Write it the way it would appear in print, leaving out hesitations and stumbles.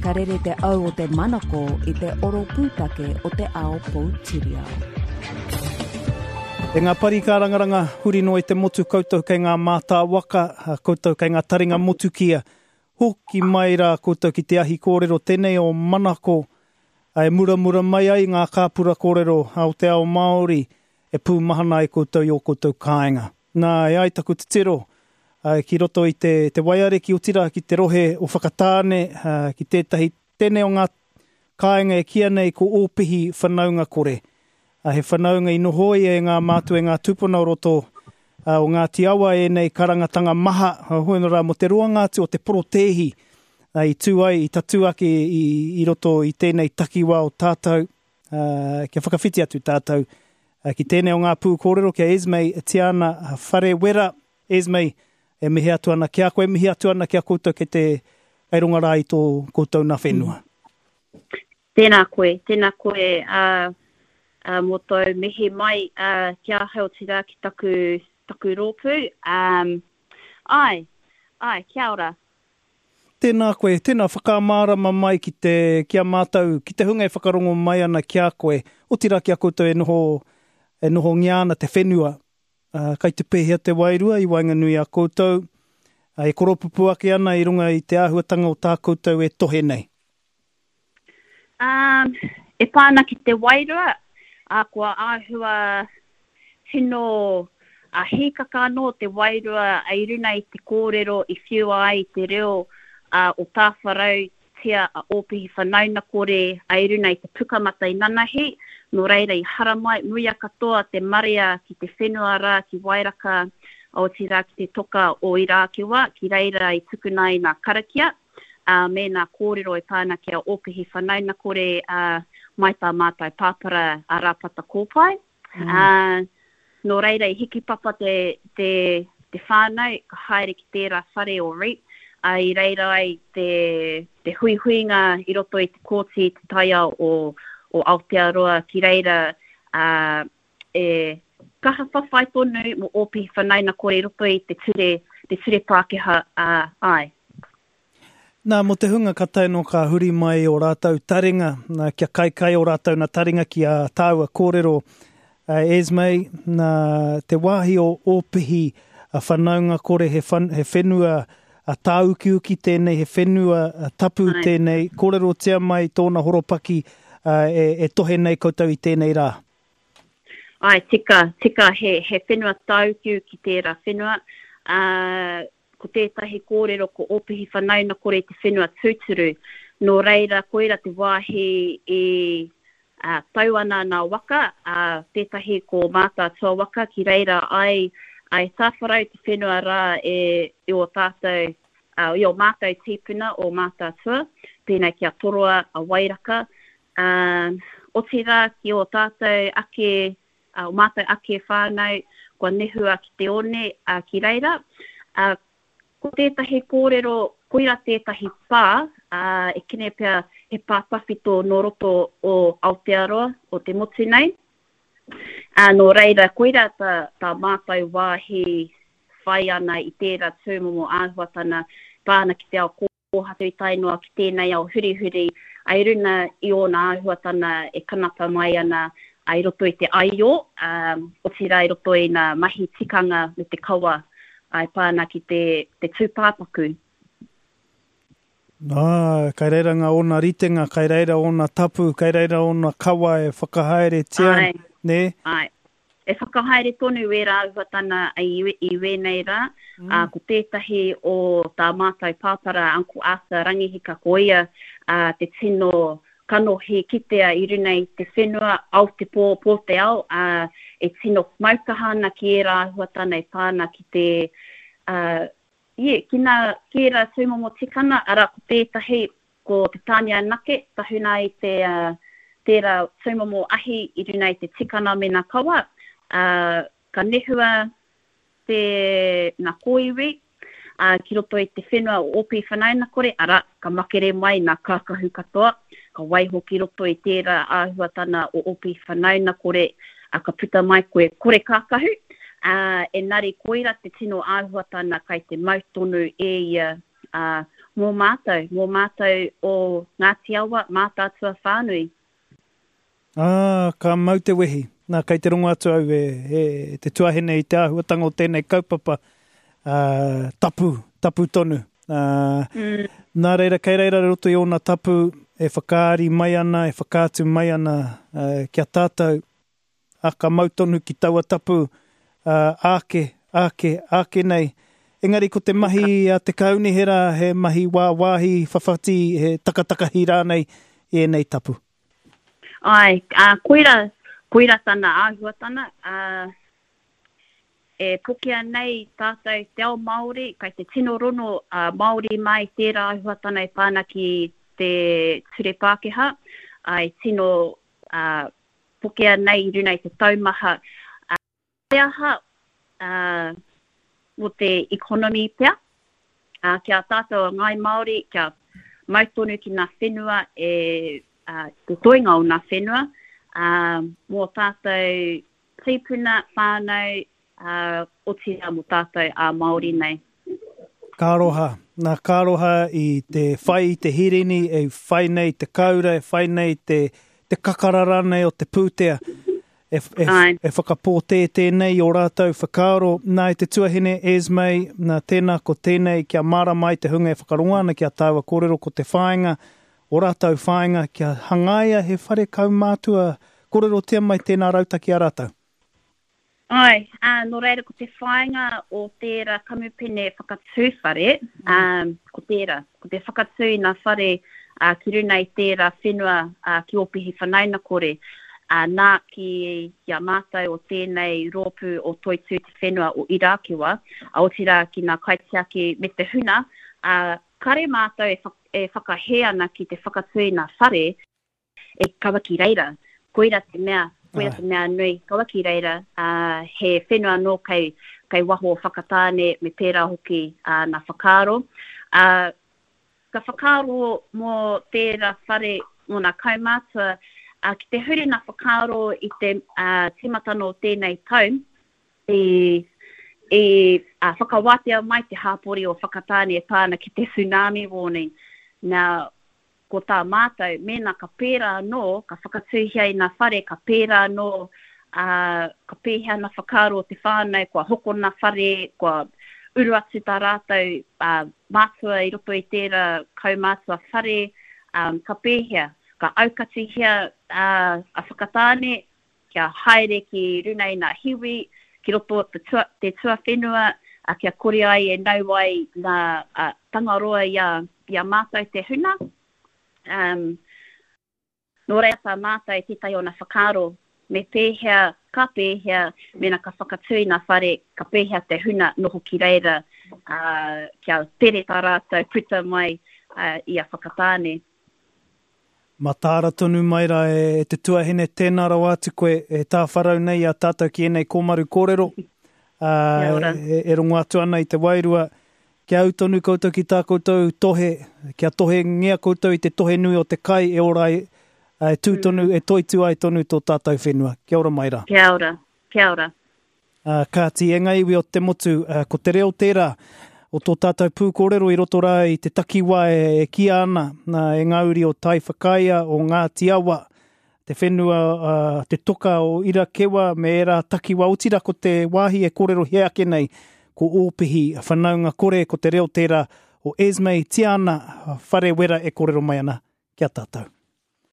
Ka rere te au o te manako i te oro pūtake o te ao poutiriao. E ngā pari kārangaranga huri noa i te motu koutou kei ngā mātā waka, koutou kei ngā taringa motukia, hoki mai rā koutou ki te ahi kōrero tenei o Manako e muramura mai ai ngā kāpura kōrero o te ao Māori e pūmahana ai koutou i ō koutou kāinga. Nā, e ai taku titiro, ki roto i te, te waiariki, otirā ki te rohe o Whakatāne, ki tētahi tene o ngā kāinga e kīia nei ko Ōpihi whanaunga kore. He whanaunga i nohoia e ngā mātua, e ngā tūpuna o roto o Ngāti Awa ēnei karangatanga maha, hoi anō rā, mō te roanga atu o te porotēhi i tū ai, i tatū ake i, i roto i tēnei takiwā o tātou, kia whakawhiti atu tātou ki tēnei o ngā pū kōrero ki a Esme Tiana Wharewera. Esme, e mihi atu ana ki a koe, e mihi atu ana ki a koutou kei te kei runga rā i tō koutou nā whenua. Tēnā koe, tēnā koe ā, ā, mō tōu mihi mai ā, ki ahau otirā ki taku, taku rōpū. Ā, āe, āe, kia ora. Tēnā koe, tēnā whakamārama mai ki te, ki a mātou, ki te hunga e whakarongo mai ana ki a koe, otirā ki a koutou e noho, e nohongia ana te whenua, ā, kai te pēhea te wairua i waenganui i a koutou, ā, e koropupū ake ana i runga i te āhuatanga o tā koutou e tohe nei. Ā, e pā ana ki te wairua, ā, kua āhua tino hīkaka anō te wairua i runa i te kōrero i whiua ai te reo o Tāwharautia a Ōpihi Whanaunakore i runa i te Pukamata i nanahi, nō reira i haramai muia katoa te marea ki te whenua rā ki Wairaka, otirā ki te toka o Irākewa, ki reira i tukuna ai nā karakia. ā, me nā kōrero e pā ana ki a Ōpihi Whanaunakore, ā, mai tā mātou pāpara a Rāpata Kōpae. Ā, nō reira i hikipapa te, te, te whānau, ka haere ki tērā whare o Reap, ā, i reira ai te, te huihuinga i roto i te kōti i te taiao o, o Aotearoa, ki reira, ā, e kaha whawhai tonu mō Ōpihi Whanaunakore i roto i te ture, te ture Pākehā, ā, āe. Nā, mō te hunga ka tae noa ka huri mai ō rātou taringa, nā, kia kaikai ō rātou nā taringa ki ā tāua kōrero, a Esme, nā, te wāhi o Ōpihi a whanaungakore, he, whan, he whenua a tāukiuki tēnei, he whenua tapu Ai. tēnei, kōrerotia mai tōna horopaki e, e tohe nei koutou i tēnei rā. Ai, tika, tika, he, he whenua tāukiuki tērā whenua. Ā, Ko tētahi kōrero ko Ōpihi Whanaunakore te whenua tūturu, nō reira koira te wāhi i tau ana nā waka, ā, tētahi ko Mātaatua waka ki reira ai e tāwharau te whenua rā e i ō tātou, i ō mātou tīpuna o Mātaatua, pēnei ki a Toroa, a Wairaka, ā, otirā ki ō tātou ake ā, ō mātou ake whānau kua nehua ki te one, ā, ki reira. Ā, ko tētahi kōrero, koira tētahi pā, ā, e kene pea he pā tawhito nō roto o Aotearoa, o te motu nei. Ā, nō reira, koira tā, tā mātou wāhi whai ana i tērā tūmomo āhuatana pā ana ki te ao kōhatu i tae noa ki tēnei ao hurihuri, i runa i ōna āhuatana e kanapa mai ana i roto i te aio, otirā i roto i ngā mahi tikanga me te kawa e pā ana ki te tūpāpaku. Ā, kai reira ngā ōna ritenga, kai reira ōna tapu, kai reira ōna kawa e whakahaeretia, nē? Āe. E whakahaere tonu wērā āhuatana i wēnei rā, ā, ko tētahi o tā mātou pāpara Uncle Arthur Rangihika ko ia te tino kanohi kitea i runa i te whenua, ao te pō, pō te ao, ā, e tino maukaha ana ki ērā āhuatana e pā ana ki te, ā, yeah, ki nā, ki ērā tūmomo tikana, arā, ko tētahi Ko te tāne anake, tahuna ai te, tērā tūmomo ahi i runa i te tikana me nā kawa, ā, ka nehua te, nā kōiwi, ā, ki roto i te whenua o Ōpi Whanaunakore, arā, ka makere mai nā kākahu katoa, ka waiho ki roto i tērā āhuatana o Ōpi Whanaunakore, ā, ka puta mai koe kore kākahu, ā, engari koira te tino āhuatana kai te mau tonu e ia ā, mō mātou, mō mātou o Ngāti Awa, Mātaatua whānui. Ā, ka mau te wehi. Nā, kei te rongo atu au e, e te tuahine i te āhuatanga o tēnei kaupapa, ā, tapu, tapu tonu. Ā, mm. nā reira, kei reira roto i ōna tapu e whakaari mai ana, e whakaatu mai ana ā, ki a tātou, ā, ka mau tonu ki taua tapu, ā, āke, āke, āke nei. Engari ko te mahi a te kaunihera he mahi wāwāhi, whawhati, he takatakahi rānei i ēnei tapu. Āe, ā, koira, koira tana āhuatana, ā, e pokea nei tātou te ao Māori, kai te tino rono a Māori mā i tērā āhuatana e pā ana ki te ture Pākehā, ā, e tino, ā, pokea nei i runa i te taumaha, ā, te aha, ā, mō te economy pea, ā, ki a tātou a Ngāi Māori, kia mau tonu ki ngā whenua e, ā, te toenga o ngā whenua, ā, mō tātou tīpuna, whānau, ā, otirā mō tātou ā Māori nei. Ka aroha, nā, ka aroha i te whai i te hirini, e whai nei te kāura, e whai nei te, te kakara rānei o te pūtea, e, e, e whakapōtētē nei i ō rātou whakaaro. Nā, e te tuahine Esme, nā, tēnā ko tēnei, kia mārama ai te hunga e whakarongo ana ki a tāua kōrero ko te whāinga, ō rātou whāinga kia hangaia he whare kaumātua, kōrerotia mai tēnā rautaki a rātou. Āe, ā, nō reira ko te whāinga o tērā kamupene whakatū whare, ā, ko tērā, ko te whakatū i ngā whare, ā, ki runa i tērā whenua, ā, ki Ōpihi Whanaunakore, ā, nā, ki, ki a mātou o tēnei rōpū o Toitū Te Whenua o Irakewa, ā, otirā ki ngā kaitiaki me te huna, ā, kare mātou e, e whakahē ana ki te whakatū i ngā whare, e kaua ki reira. Koira te mea, koira te mea nui, kaua ki reira, ā, he whenua anō kei, kei waho o Whakatāne me pērā hoki āna whakaaro. Ā, ka whakaaro mō tērā whare, mō nā kaumātua, ā, ki te huri nā whakaaro i te, ā, tīmatanga o tēnei tau, i, i, ā, whakawātea mai te hāpori o Whakatāne e pā ana ki te tsunami warning. Now, Ko tā mātou, mēnā ka pērā anō, ka whakatūhia i ngā whare, ka pērā anō, ā, ka pēhea ngā whakaaro o te whānau, kua hokona whare, kua uru atu tā rātou, ā, mātua i roto i tērā kaumātua whare, ā, ka pēhea? Ka aukatihia, ā, a Whakatāne, kia haere ki runa i ngā hiwi, ki roto o te, tua, te tuawhenua, a, kia kore ai e nau ai ngā a, tangaroa i a, i a mātou te huna. Um, nō reira tā mātou tētahi o ngā whakaaro, me pēhea, ka pēhea, mēnā ka whakatū i ngā whare, ka pēhea te huna noho ki reira, ā, kia tere tā rātou puta mai ā, i a Whakatāne. Mataara tonu mai rā e te tuahine, tēnā rawa atu koe e tāwharau nei i a tātou ki ēnei kōmaru kōrero, ā, e rongo atu ana i te wairua. Kia ū tonu koutou ki tā koutou tohe, kia tohengia koutou i te tohe nui o te kai e ora ai, e tū tonu, e toitū ai tonu tō tātou whenua. Kia ora mai rā. Kia ora. Kia ora. Ā, kāti, e ngā iwi o te motu, ko te reo tērā o tō tātou pūkōrero i roto rā i te takiwā e kīia ana e ngā uri o Taiwhakaea, o Ngāti Awa, te whenua, te toka o Irakewa me ērā takiwā, otirā ko te wāhi e kōrerohia ake nei ko Ōpihi whanaunga kore, ko te reo tērā o Esme Tiana Wharewera e kōrero mai ana ki a tātou.